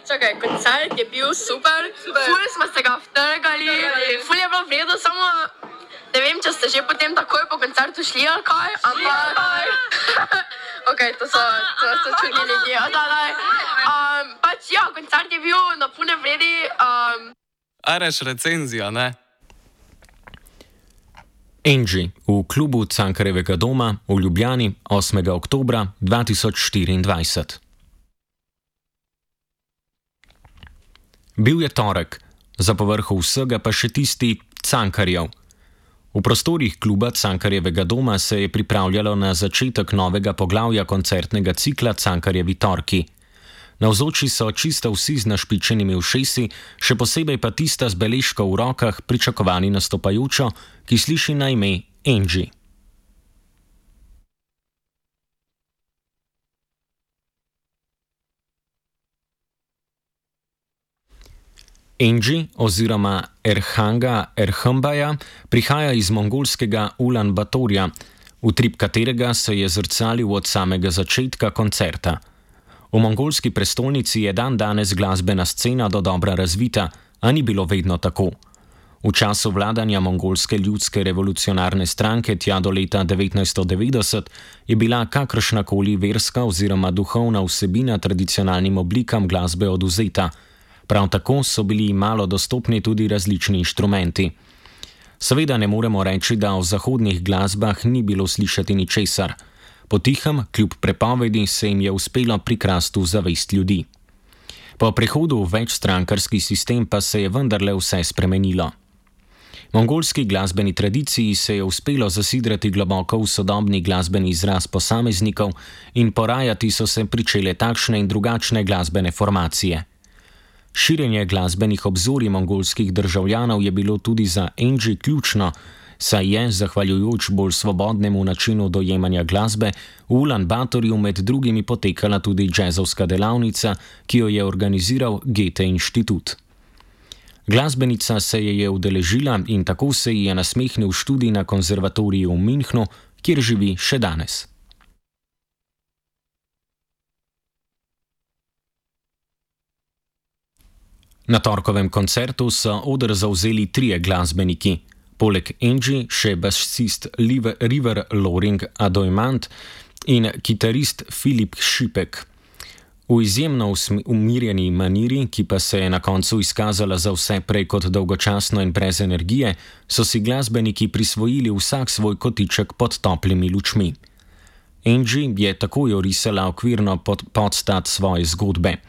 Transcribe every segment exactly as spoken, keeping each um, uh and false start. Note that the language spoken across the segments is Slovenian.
čakaj, koncert je bil super, super. Ful smo se ga vtrgali, ful je bilo vredo, samo ne vem, če ste že potem takoj po koncertu šli ali kaj, ampak... ok, to so, to so čudni ljudje, da, da. Um, pač ja, koncert je bil na pune vredi. Um... Areš recenzija, ne? Angie v klubu Cankarjevega doma v Ljubljani osmega oktobra dva tisoč štiriindvajset. Bil je torek, za povrhu vsega pa še tisti Cankarjev. V prostorih kluba Cankarjevega doma se je pripravljalo na začetek novega poglavja koncertnega cikla Cankarjevi torki. Navzoči so čisto vsi z našpičenimi ušesi, še posebej pa tista z beležko v rokah pričakovani nastopajočo, ki sliši na ime Angie. Angie oziroma Erhanga Erhembaja prihaja iz mongolskega Ulan Batorja, utrip katerega se je zrcalil od samega začetka koncerta. V mongolski prestolnici je dan danes glasbena scena dodobra razvita, a ni bilo vedno tako. V času vladanja mongolske ljudske revolucionarne stranke tja do leta devetnajststo devetdeset je bila kakršnakoli verska oziroma duhovna vsebina tradicionalnim oblikam glasbe odvzeta. Prav tako so bili malo dostopni tudi različni inštrumenti. Seveda ne moremo reči, da v zahodnih glasbah ni bilo slišati ničesar. Potihem, kljub prepovedi, se jim je uspelo prikrasti v zavest ljudi. Po prehodu v večstrankarski sistem pa se je vendarle vse spremenilo. Mongolski glasbeni tradiciji se je uspelo zasidrati globoko v sodobni glasbeni izraz posameznikov in porajati so se pričele takšne in drugačne glasbene formacije. Širjenje glasbenih obzorij mongolskih državljanov je bilo tudi za Angie ključno, saj je, zahvaljujoč bolj svobodnemu načinu dojemanja glasbe, v Ulan Batorju med drugimi potekala tudi džezovska delavnica, ki jo je organiziral Goethe inštitut. Glasbenica se je je udeležila in tako se ji je nasmehnil študij na konzervatoriju v Münchnu, kjer živi še danes. Na torkovem koncertu so oder zavzeli trije glasbeniki. Poleg Angie še basist River Loring Adoimant in kitarist Filip Šipek. V izjemno umirjeni maniri, ki pa se je na koncu izkazala za vse prej kot dolgočasno in brez energije, so si glasbeniki prisvojili vsak svoj kotiček pod toplimi lučmi. Angie je takoj orisala okvirno pod, podstat svoje zgodbe.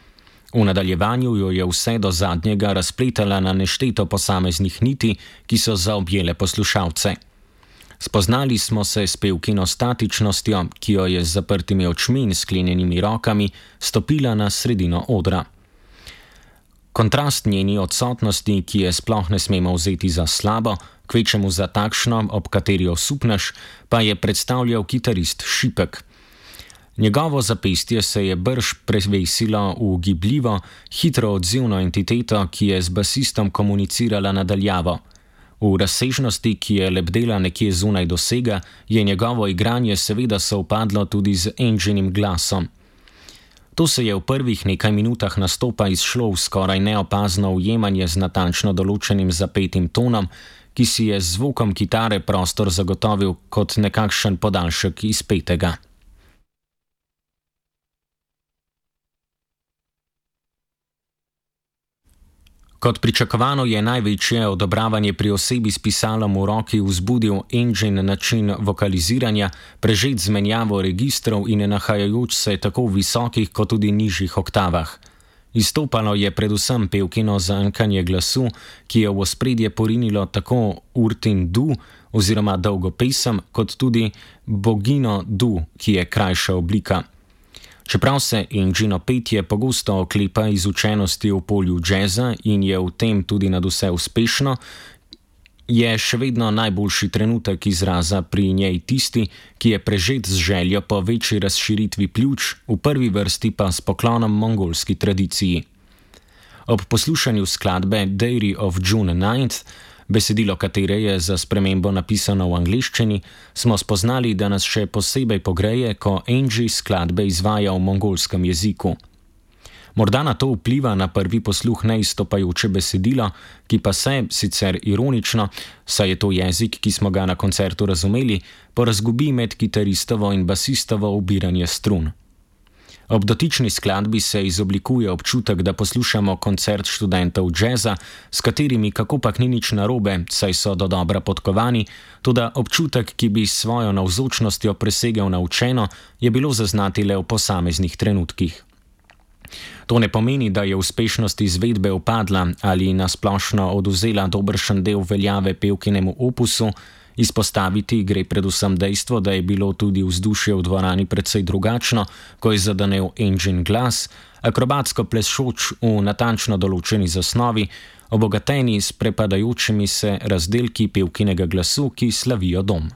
V nadaljevanju jo je vse do zadnjega razpletala na nešteto posameznih niti, ki so zaobjele poslušalce. Spoznali smo se s pevkino statičnostjo, ki jo je z zaprtimi očmi in sklenjenimi rokami stopila na sredino odra. Kontrast njeni odsotnosti, ki je sploh ne smemo vzeti za slabo, kvečemu za takšno, ob kateri osupneš, pa je predstavljal kitarist Šipek. Njegovo zapestje se je brž prevesilo v gibljivo, hitro odzivno entiteto, ki je z basistom komunicirala nadaljavo. V razsežnosti, ki je lebdela nekje zunaj dosega, je njegovo igranje seveda sovpadlo tudi z Angienim glasom. To se je v prvih nekaj minutah nastopa izšlo v skoraj neopazno ujemanje z natančno določenim zapetim tonom, ki si je z zvokom kitare prostor zagotovil kot nekakšen podaljšek izpetega. Kot pričakovano je največje odobravanje pri osebi s pisalom v roki vzbudil Angien način vokaliziranja, prežet z menjavo registrov in nahajajoč se tako v visokih kot tudi nižjih oktavah. Izstopalo je predvsem pevkino zankanje glasu, ki je v ospredje porinilo tako urtin du oziroma dolgo pesem, kot tudi bogino du, ki je krajša oblika. Čeprav se Angiino petje pogosto oklepa izučenosti v polju džeza in je v tem tudi nadvse uspešno, je še vedno najboljši trenutek izraza pri njej tisti, ki je prežet z željo po večji razširitvi pljuč, v prvi vrsti pa s poklonom mongolski tradiciji. Ob poslušanju skladbe Diary of June ninth, besedilo katere je za spremembo napisano v angleščini, smo spoznali, da nas še posebej pogreje, ko Angie skladbe izvaja v mongolskem jeziku. Morda na to vpliva na prvi posluh neizstopajoče besedilo, ki pa se, sicer ironično, saj je to jezik, ki smo ga na koncertu razumeli, porazgubi med kitaristovo in basistovo ubiranje strun. Ob dotični skladbi se izoblikuje občutek, da poslušamo koncert študentov džeza, s katerimi kakopak ni nič narobe, saj so dodobra podkovani, toda občutek, ki bi s svojo navzočnostjo presegel naučeno, je bilo zaznati le v posameznih trenutkih. To ne pomeni, da je uspešnost izvedbe upadla ali nasplošno odvzela dobršen del veljave pevkinemu opusu. Izpostaviti gre predvsem dejstvo, da je bilo tudi vzdušje v dvorani precej drugačno, ko je zadanel Angelin glas, akrobatsko plešoč v natančno določeni zasnovi, obogateni s prepadajočimi se razdelki pevkinega glasu, ki slavijo dom.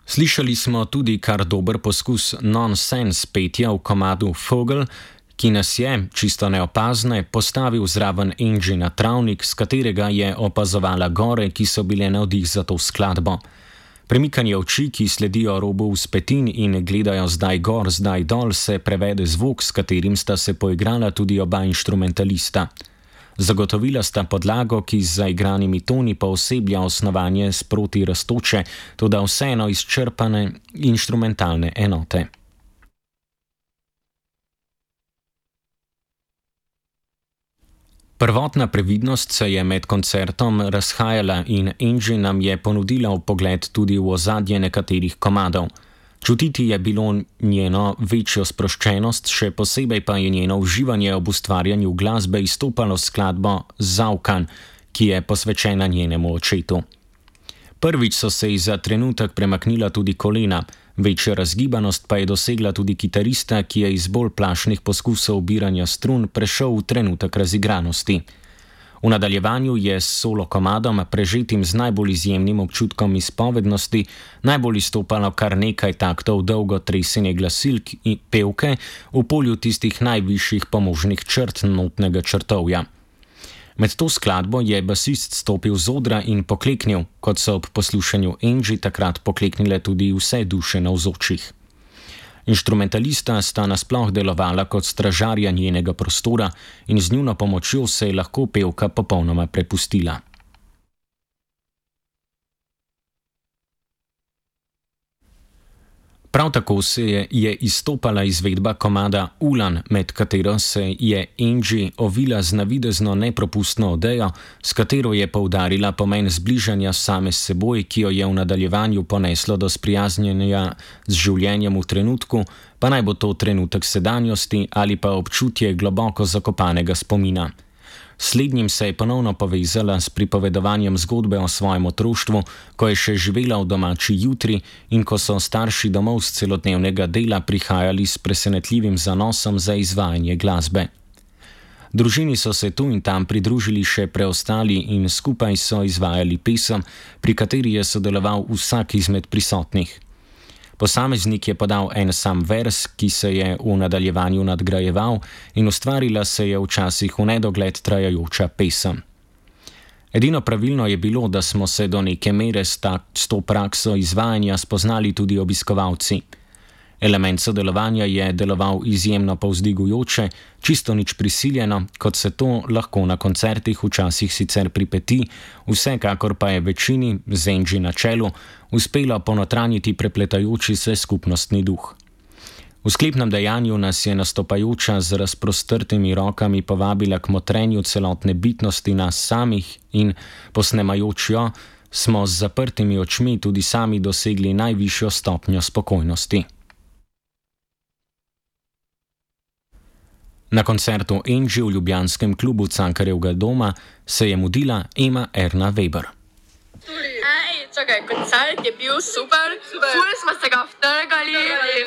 Slišali smo tudi kar dober poskus nonsense petja v komadu Vogel, ki nas je, čisto neopazne, postavil zraven Angie na travnik, s katerega je opazovala gore, ki so bile navdih za to skladbo. Premikanje oči, ki sledijo robu vzpetin in gledajo zdaj gor, zdaj dol, se prevede zvok, s katerim sta se poigrala tudi oba inštrumentalista. Zagotovila sta podlago, ki z zaigranimi toni pooseblja osnovanje sproti rastoče, toda vseeno izčrpane inštrumentalne enote. Prvotna previdnost se je med koncertom razhajala in Angie nam je ponudila vpogled tudi v ozadje nekaterih komadov. Čutiti je bilo njeno večjo sproščenost, še posebej pa je njeno uživanje ob ustvarjanju glasbe izstopalo skladbo Zaukan, ki je posvečena njenemu očetu. Prvič so se ji za trenutek premaknila tudi kolena, večjo razgibanost pa je dosegla tudi kitarista, ki je iz bolj plašnih poskusov ubiranja strun prešel v trenutek razigranosti. V nadaljevanju je s solo komadom, prežetim z najbolj izjemnim občutkom izpovednosti, najbolj izstopalo kar nekaj taktov dolgo tresenje glasilk in pevke v polju tistih najvišjih pomožnih črt notnega črtovja. Med to skladbo je basist stopil z odra in pokleknil, kot so ob poslušanju Angie takrat pokleknile tudi vse duše navzočih. Inštrumentalista sta nasploh delovala kot stražarja njenega prostora in z njuno pomočjo se je lahko pevka popolnoma prepustila. Prav tako se je, je izstopala izvedba komada Ulan, med katero se je Angie ovila z navidezno nepropustno odejo, s katero je poudarila pomen zbližanja same s seboj, ki jo je v nadaljevanju poneslo do sprijaznjenja z življenjem v trenutku, pa naj bo to trenutek sedanjosti ali pa občutje globoko zakopanega spomina. Slednjim se je ponovno povezala s pripovedovanjem zgodbe o svojem otroštvu, ko je še živela v domači jutri in ko so starši domov z celodnevnega dela prihajali s presenetljivim zanosom za izvajanje glasbe. Družini so se tu in tam pridružili še preostali in skupaj so izvajali pesem, pri kateri je sodeloval vsak izmed prisotnih. Posameznik je podal en sam vers, ki se je v nadaljevanju nadgrajeval in ustvarila se je včasih v nedogled trajajoča pesem. Edino pravilno je bilo, da smo se do neke mere s, ta, s to prakso izvajanja spoznali tudi obiskovalci. Element sodelovanja je deloval izjemno povzdigujoče, čisto nič prisiljeno, kot se to lahko na koncertih včasih sicer pripeti, vsekakor pa je večini, z Angie na čelu, uspelo ponotranjiti prepletajoči se skupnostni duh. V sklepnem dejanju nas je nastopajoča z razprostrtimi rokami povabila k motrenju celotne bitnosti nas samih in, posnemajoč jo, smo z zaprtimi očmi tudi sami dosegli najvišjo stopnjo spokojnosti. Na koncertu Angie v ljubljanskem klubu Cankarjevega doma se je mudila Ema Erna Weber. Ej, čakaj, koncert je bil super, super. Ful smo se ga vtrgali,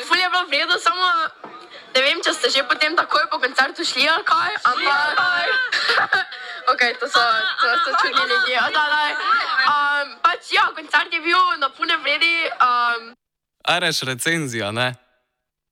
ful je bilo vredo, samo ne vem, če ste že potem takoj po koncertu šli ali kaj, ampak... ok, to so, to so čudni ljudje, da, da. Um, pač ja, koncert je bil na pune vredi. Um... Areš recenzija, ne?